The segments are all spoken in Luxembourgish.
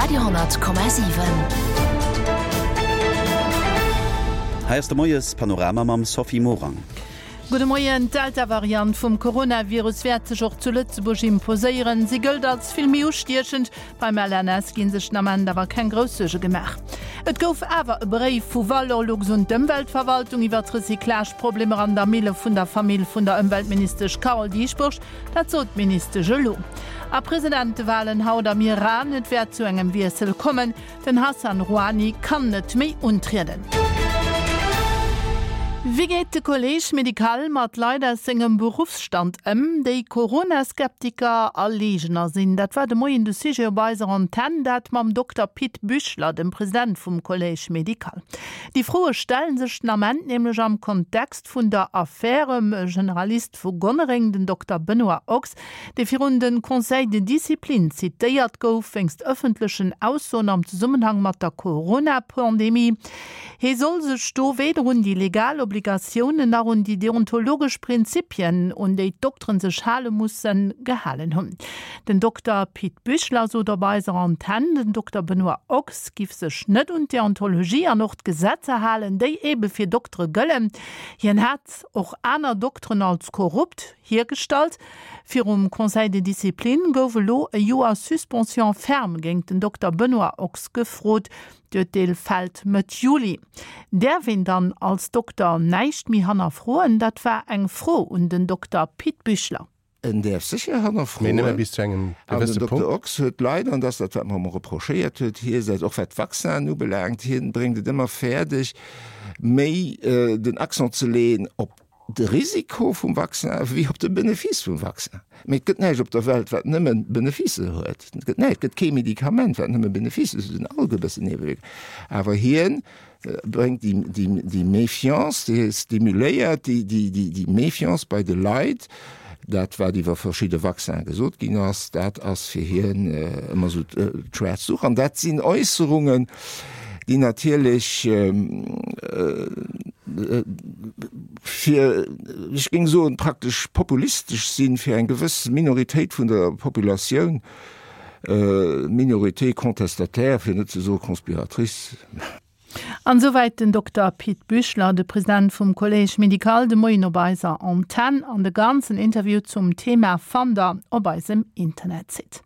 Radio,7. Hei ass de Moies Panorama mam Sophie Morang. Gudde Moien. D'Delta-Variant vum Coronavirus wäert sech och zu Lëtzebuerg imposéieren. Si gëllt als vill méi ustiechend. Beim LNS gi sech den Ament awer keng grouss Suerge gemaach. Et gouf awer e Bréif vu Valorlux un d'Ëmweltverwaltung iwwer d'Recyclage-Problemer an der Mille vun der Famill vun der Ëmweltministesch Carole Dieschbourg. Dat sot d'Ministesch elo. A Presidentewalen haut am Iran, Et wäert zu engem Wiessel kommen, den Hassan Rouhani kann net méi untrieden. Wéi geet de Collège médical mat Leit aus sengem Beruffsstand ëm, déi Corona-Skeptiker a Leegner sinn? Dat war de Moien de Sujet op eiser Antenn, dat mam Dokter Pit Büchler, dem President vum Collège médical. Déi Froe stelle sech den Ament nämlech am Kontext vun der Affär ëm e Generalist vu Gonnereng, den Dokter Benoît Ochs, dee virun de Conseil de discipline zitéiert gouf wéinst ëffentlechen Aussoen am Zesummenhang mat der Corona-Pandemie. Hie soll sech do weder un déi legal Obligatiounen nach un déi deontologesch Prinzipien, un déi d'Dokteren sech hale mussen, gehalen hunn. Den Dokter Pit Büchler sot op eiser Antenn, den Dokter Benoît Ochs giff sech net un d'Deontologie an och d'Gesetzer halen, déi ebe fir Doktere gëllen. Hien hat och aner Dokteren als korrupt hiergestallt. Virum Conseil de discipline gouf elo e Joer Suspension ferme géint den Dokter Benoît Ochs gefrot. D'Urteel fält Mëtt Juli. Däerf een dann als Dokter näischt méi hannerfroen? Dat war eng Fro un den Dokter Pit Büchler. En däerf sécher hannerfroen. An den Dokter Ochs huet leider, an dat ass dat, wat mer ëmmer reprochéiert huet, hie säit, och wat d'Vaccinen ubelaangt, hien bréngt et ëmmer fäerdeg, méi den Accent ze leeën op de Risiko vum Vaccin wéi op de Benefice vum Vaccin. Mee et gëtt näischt op der Welt, wat nëmme Beneficen huet. Et gëtt näischt, et gëtt kee Medikament, wat nëmme Beneficen huet. Se hunn all e bëssen Niewewierkungen. Awer hien bréngt déi Méfiance, déi stimuléiert déi Méfiance bei de Leit. Dat, wat iwwer verschidde Vaccinen gesot ginn ass, dat ass fir hien ëmmer esou d'schwaarz Duch. An dat sinn Äusserungen, déi natierlech fir, ech géing soen, praktesch populistesch sinn, fir eng gewëss Minoritéit vun der Populatioun, Minorité contestataire, fir net ze soe conspiratrice. An esouwäit den Dokter Pit Büchler, de President vum Collège médical, de Moien op eiser Antenn. An de ganzen Interview zum Thema fannt der op eisem Internetsite.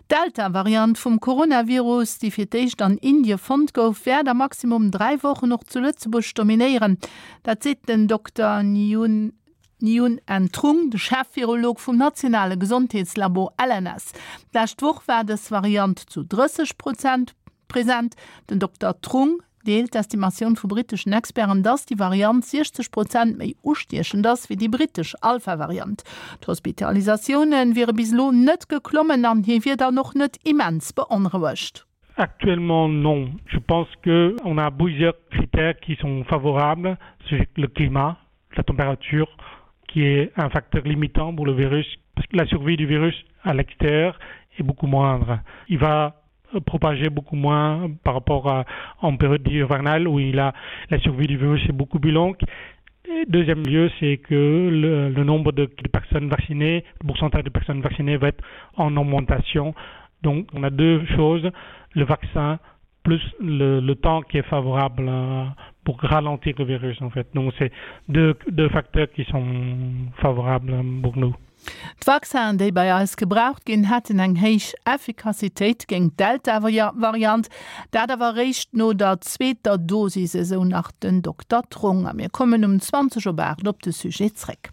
D'Delta-Variant vum Coronavirus, déi fir d'éischt an Indie fonnt gouf, wäert a maximum 3 Wochen och zu Lëtzebuerg dominéieren. Dat seet den Dokter Niun. Nguyen Anh Trung, de Chef-Virolog vum nationale Gesondheetslabo LNS. D'lescht Woch war dës Variant zu 30 Prozent present. Den Dokter Trung deelt d'Estimatioun vu britteschen Experten, dass déi Variant 60 Prozent méi ustiechend ass wéi déi brittesch Alpha-Variant. D'Hospitalisatioune wiere bis elo net geklommen an hie wier dann och net immens beonrouegt. Actuellement non. Je pense que on a plusieurs critères qui sont favorables, c'est le climat, la température qui est un facteur limitant pour le virus parce que la survie du virus à l'extérieur est beaucoup moindre. Il va propager beaucoup moins par rapport à en période hivernale où il a la survie du virus est beaucoup plus longue. Et deuxième lieu, c'est que le, le nombre de, de personnes vaccinées, le pourcentage de personnes vaccinées va être en augmentation. Donc on a deux choses, le vaccin plus le, le temps qui est favorable euh, pour ralentir le virus en fait. Donc c'est deux, deux facteurs qui sont favorables pour nous. D'Vaccinen, déi bei eis gebraucht ginn, hätten eng héich Effikassitéit géint d'Delta-Variant, dat awer eréischt no der zweeter Dosis, esou nach den Dokter Trung. A mir kommen um 20 op 8 op de Sujet zréck.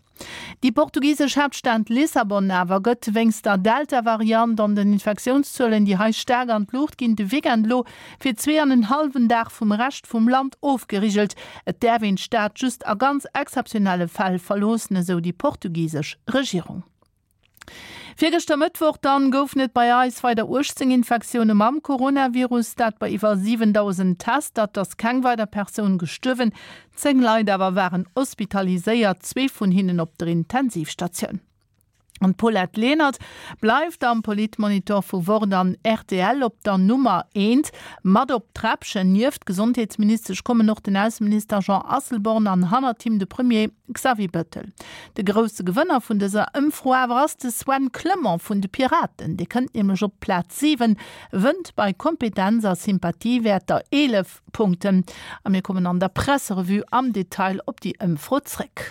Déi portugisesch Haaptstad Lissabon awer gëtt wéinst der Delta-Variant an den Infektiounszuelen, déi hei staark an d'Luucht ginn, de Weekend elo fir zwee an en hallwen Dag vum Rescht vum Land ofgerigelt. Et däerf een d'Stad just a ganz exzeptionelle Fäll verloossen, esou déi portugisesch Regierung. Virgëschter Mëttwoch dann goufen et bei eis weider 18 Infektioune mam Coronavirus, dat bei iwwer 7.000 Tester. Et ass keng weider Persoun gestuerwen, 10 Leit awer waren hospitaliséiert, zwee vun hinnen op der Intensivstatioun. An d'Paulette Lenert bleift am Politmonitor vu Wort an rtl op der Nummer eent. Mat op d'Träppchen nieft d'Gesondheetsministesch kommen och den Ausseminister Jean Asselborn an hannert him de Premier Xavier Bettel. De grousse Gewënner vun dëser Ëmfro awer ass de Sven Clement vun de Piraten. Dee kënnt nämlech op d'Plaz 7, wënnt bei Kompetenz a Sympathiewäerter 11 Punkten. A mir kommen an der Presserevue am Detail op déi Ëmfro zréck.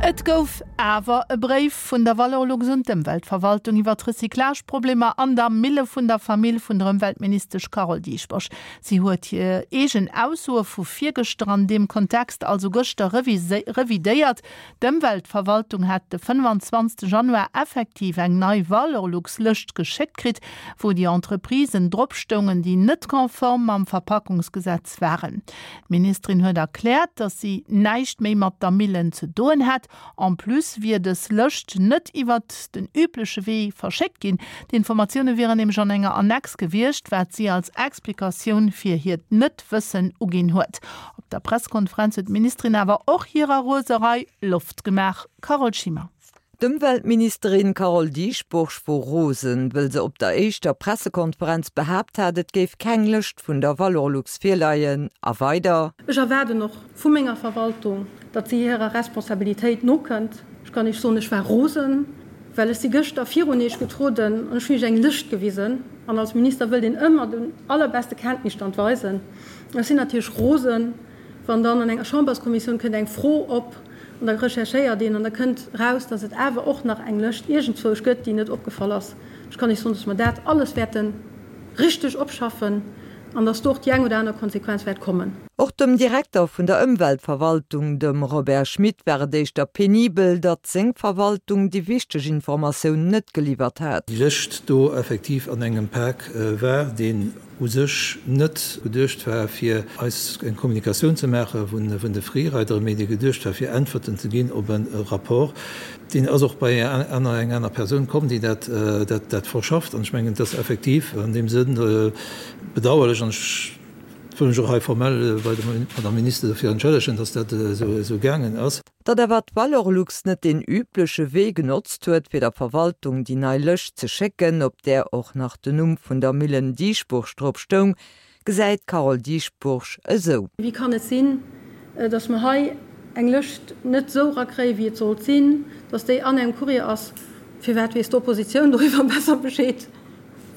Et gouf awer e Bréif vun der Valorlux un d'Ëmweltverwaltung iwwer d'Recyclageproblemer an der Mille vun der Famill vun der Ëmweltministesch Carole Dieschbourg. Si huet hir eegen Aussoe vu virgëschter an deem Kontext, also gëschter, revidéiert. D'Ëmweltverwaltung hätt de 25 Januar effektiv eng nei Valorlux-Lëscht geschéckt kritt, wou déi Entreprisen drop stoungen, déi net konform mam Verpackungsgesetz waren. D'Ministerin huet erkläert, datt si näischt méi mat der Millen ze doen hätt. En plus wier dës Lëscht net iwwert den übleche Wee verschéckt ginn. D'Informatioune wieren nämlech an enger Annex gewiescht, wat si als Explikatioun fir hiert Net-Wëssen uginn huet. Op der Presskonferenz huet d'Ministerin awer och hirer Roserei Loft gemaach. Carole Schimmer. D'Ëmweltministerin Carole Dieschbourg wor rosen, wëll se op der éischter Pressekonferenz behaapt hat, et géif keng Lëscht vun der Valorlux virleien. A weider. Ech erwaarden och vu menger Verwaltung, datt si hirer Responsabilitéit nokënnt. Ech kann Iech soen, ech war rosen, well ech si gëschter virun Iech getroden an ech hunn Iech eng Lëscht gewisen. An als Minister wëllt een ëmmer den allerbeste Kenntnisstand weisen. Ech sinn natierlech rosen, wann dann an enger Chamberskommissioun kënnt eng Fro op an da recherchéiert een an da kënnt eraus, datt et awer och nach eng Lëscht iergendzwousch gëtt, déi net opgefall ass. Ech kann Iech soen, datt mer dat alles wäerte richteg opschaffen an datt do och déi eng oder aner Konsequenz wäert kommen. Och dem Direkter vun der Ëmweltverwaltung, dem Robert Schmit, war et éischter penibel, datt seng Verwaltung déi wichteg Informatioun net geliwwert hat. Déi Lëscht do effektiv an engem Pak war, deen u sech net geduecht war, fir eis eng Kommunikatioun ze maache vun de Freerideren, mee dee geduecht war, fir Äntwerten ze ginn op e Rapport. Deen ass och bei eng aner Persoun komm, déi dat verschafft. An ech mengen, et ass effektiv an deem Sënn bedauerlech, an ech wëll mech och hei formell bei der Madame Minister dofir entschëllegen, dass dat esou gaangen ass. Datt awer d'Valorlux net deen übleche Wee genotzt huet, fir der Verwaltung déi nei Lëscht ze schécken, op där och nach den Numm vun der Millen Dieschbourg drop stoung, gesäit d'Carole Dieschbourg esou. Wéi kann et sinn, datt mer hei eng Lëscht net esou erakréien, wéi et sollt sinn, datt déi an engem Courrier ass? Firwat weess d'Oppositioun doriwwer besser Bescheed?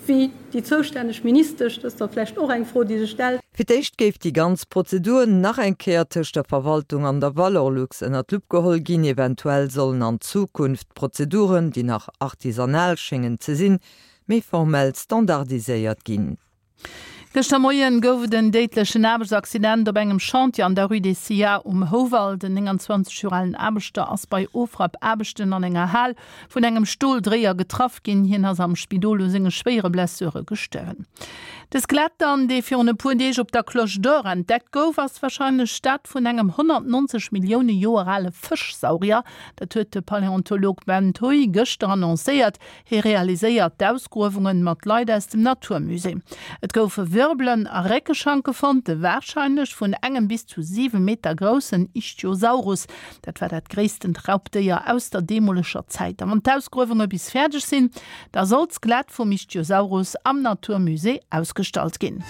Wéi déi zoustänneg Ministesch, dat ass da vläicht och eng Fro, déi sech stellt. Fir d'éischt géif déi ganz Prozedur nach eng Kéier tëscht der Verwaltung an der Valorlux ënner d'Lupp geholl ginn. Eventuell sollen an Zukunft d'Prozeduren, déi nach artisanal schéngen ze sinn, méi formell standardiséiert ginn. Gëschter Moien gouf et en déidlechen Aarbechtsaccident op engem Chantier an der Rue des Sillats um Houwald. En 29 Joer alen Aarbechter ass bei Ofrappaarbechten an enger Hal vun engem Stoldréier getraff ginn. Hien ass am Spidol u senge schwéiere Blessure gestuerwen. De Skelett dann, dee virun e puer Deeg op der Cloche d'Or entdeckt gouf, ass warscheinlech dat vun engem 190 Millioune Joer ale Fëschsaurier. Dat huet de Paläontolog Ben Thuy gëschter annoncéiert. Hie realiséiert d'Ausgruewungen mat Leit aus dem Naturmusée. Et goufe Wirbelen a Réckeschanke fonnt, de warscheinlech vun engem bis zu 7 Meter groussen Ichthyosaurus. Dat war dat gréisstent Raubdéier aus der deemoleger Zäit. A wann d'Ausgruewunge bis fäerdeg sinn, da soll d'Skelett vum Ichthyosaurus am Naturmusée ausgestallt ginn.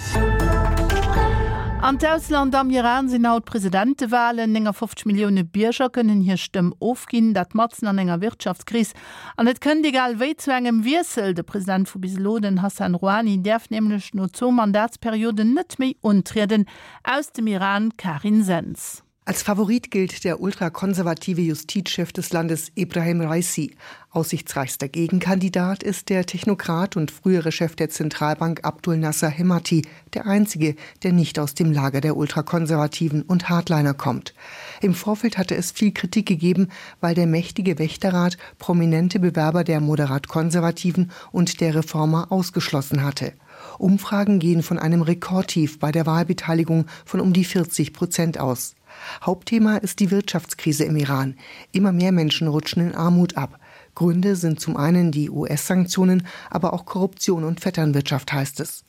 An d'Ausland, Am Iran sinn haut Presidentewalen. 59 Millioune Bierger kënnen hir Stëmm ofginn, dat matzen an enger Wirtschaftskris. An et kënnt egal wéi zu engem Wiessel. De President vu bis elo, den Hassan Rouhani, däerf nämlech no zwou Mandatsperioden net méi untrieden. Aus dem Iran, Karin Sens. Als Favorit gilt der ultrakonservative Justizchef des Landes Ibrahim Raisi. Aussichtsreichster Gegenkandidat ist der Technokrat und frühere Chef der Zentralbank Abdul Nasser Hemati, der einzige, der nicht aus dem Lager der Ultrakonservativen und Hardliner kommt. Im Vorfeld hatte es viel Kritik gegeben, weil der mächtige Wächterrat prominente Bewerber der moderat-konservativen und der Reformer ausgeschlossen hatte. Umfragen gehen von einem Rekordtief bei der Wahlbeteiligung von um die 40 Prozent aus. Hauptthema ist die Wirtschaftskrise im Iran. Immer mehr Menschen rutschen in Armut ab. Gründe sind zum einen die US-Sanktionen, aber auch Korruption und Vetternwirtschaft heißt es.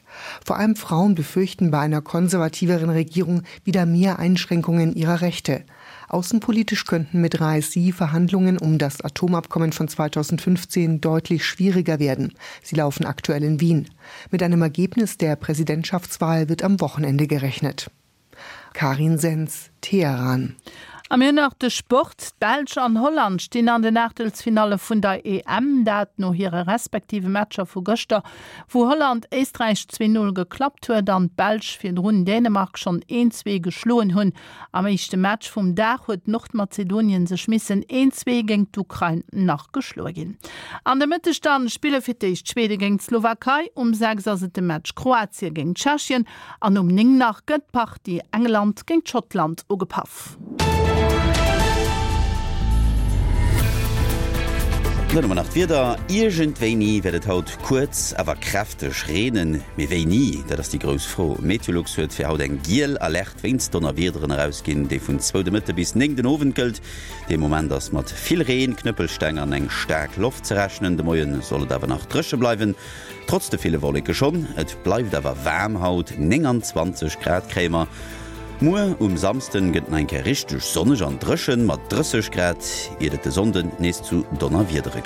Vor allem Frauen befürchten bei einer konservativeren Regierung wieder mehr Einschränkungen ihrer Rechte. Außenpolitisch könnten mit Raisi Verhandlungen um das Atomabkommen von 2015 deutlich schwieriger werden. Sie laufen aktuell in Wien. Mit einem Ergebnis der Präsidentschaftswahl wird am Wochenende gerechnet. Karin Sens, Teheran. A mir hunn nach de Sport. D'Belsch an Holland stinn an den Aachtelsfinalle vun der EM, dat no hire respektive Matcher vu gëschter, wou Holland Éisträich 2, 0 geklappt huet an d'Belsch virdrun Dänemark schonn 1, 2 geschloen hunn. Am éischte Match vum Dag huet Nordmazedonien sech missen 1, 2 géint d'Ukrain nach geschloe ginn. An de Mëtteg dann spille fir d'éischt Schwede géint d'Slowakei, um 6 ass et de Match Kroatie géint Tschechien An um 9 nach gëtt d'Partie England géint Schottland ugepaff. Dann hu mer nach d'Wieder, Iergendwéini wäert et haut kuerz, awer kräfteg reenen. Mee wéini, dat ass déi grouss Fro. Meteolux huet fir haut eng giel Alerte wéinst Donnerwiederen erausginn, déi vun zwou de Mëtte bis 9 den Owend gëllt. De Moment ass mat vill Reen, Knëppelsteng an eng staark Loft ze rechnen. De Moie soll et awer nach dréche bleiwen. Trotz de ville Wolleke schonn, et bleift awer waarm haut, 29 Grad kréie mer. Muer um Samsden gëtt nach eng Kéier richteg sonneg an dréchen mat 30 Grad, iert et de Sonnden nees zu Donnerwiedere.